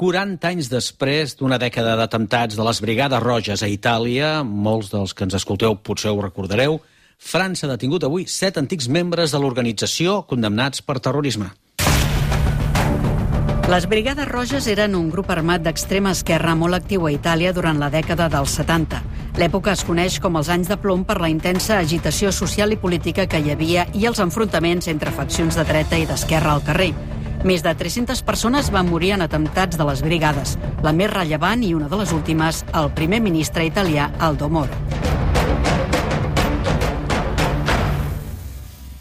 40 anys després d'una dècada d'atemptats de les Brigades Roges a Itàlia, molts dels que ens escolteu potser ho recordareu, França ha detingut avui 7 antics membres de l'organització condemnats per terrorisme. Les Brigades Roges eren un grup armat d'extrema esquerra molt actiu a Itàlia durant la dècada dels 70. L'època es coneix com els anys de plom per la intensa agitació social i política que hi havia i els enfrontaments entre faccions de dreta i d'esquerra al carrer. Més de 300 persones van morir en atemptats de les brigades. La més rellevant i una de les últimes, el primer ministre italià Aldo Moro.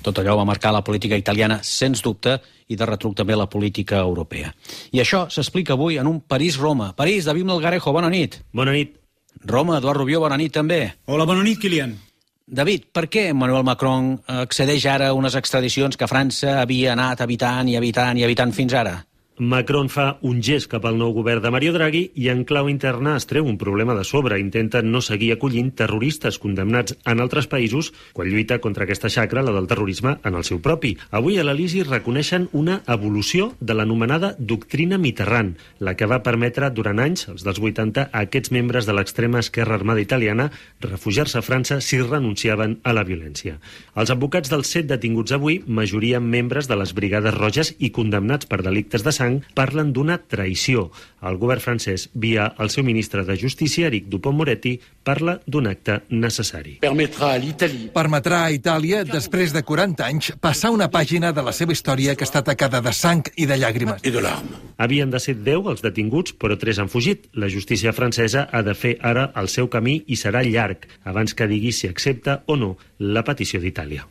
Tot allò va marcar la política italiana, sens dubte, i de retruc també la política europea. I això s'explica avui en un París-Roma. París, David Melgarejo, bona nit. Bona nit. Roma, Eduard Rubió, bona nit també. Hola, bona nit, Kilian. David, per què Emmanuel Macron accedeix ara a unes extradicions que França havia anat evitant fins ara? Macron fa un gest cap al nou govern de Mario Draghi i en clau interna es treu un problema de sobre. Intenta no seguir acollint terroristes condemnats en altres països quan lluita contra aquesta xacra, la del terrorisme, en el seu propi. Avui a l'Elisi reconeixen una evolució de l'anomenada doctrina Mitterrand, la que va permetre durant anys, els dels 80, a aquests membres de l'extrema esquerra armada italiana refugiar-se a França si renunciaven a la violència. Els advocats dels 7 detinguts avui, majoria membres de les Brigades Roges i condemnats per delictes de sang, parlen d'una traïció. El govern francès, via el seu ministre de Justícia, Éric Dupond-Moretti, parla d'un acte necessari. Permetrà a Itàlia, després de 40 anys, passar una pàgina de la seva història que està tacada de sang i de llàgrimes. Havien de ser 10 els detinguts, però 3 han fugit. La justícia francesa ha de fer ara el seu camí i serà llarg, abans que digui si accepta o no la petició d'Itàlia.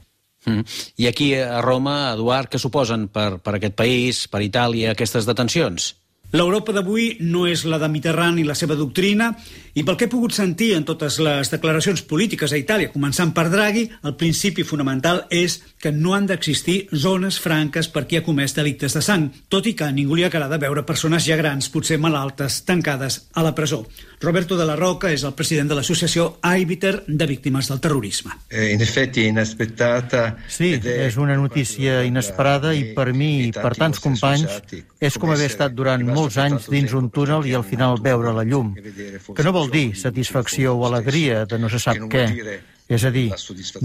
I aquí a Roma, Eduard, què suposen per aquest país, per Itàlia, aquestes detencions? L'Europa d'avui no és la de Mitterrand i la seva doctrina, i pel que he pogut sentir en totes les declaracions polítiques a Itàlia, començant per Draghi, el principi fonamental és que no han d'existir zones franques per qui ha comès delictes de sang, tot i que a ningú li agrada veure persones ja grans, potser malaltes, tancades a la presó. Roberto de la Roca és el president de l'associació Aibiter de víctimes del terrorisme. In effetti inaspettata. Sí, és una notícia inesperada i per mi i per tants companys és com haver estat durant molts anys dins un túnel i al final veure la llum, que no vol dir satisfacció o alegria de no se sap què. És a dir,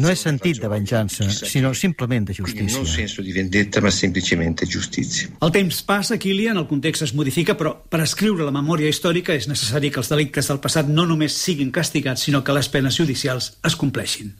no és sentit de venjança, sinó simplement de justícia. Non senso di vendetta, ma semplicemente giustizia. El temps passa, Kilian, el context es modifica, però per escriure la memòria històrica és necessari que els delictes del passat no només siguin castigats, sinó que les penes judicials es compleixin.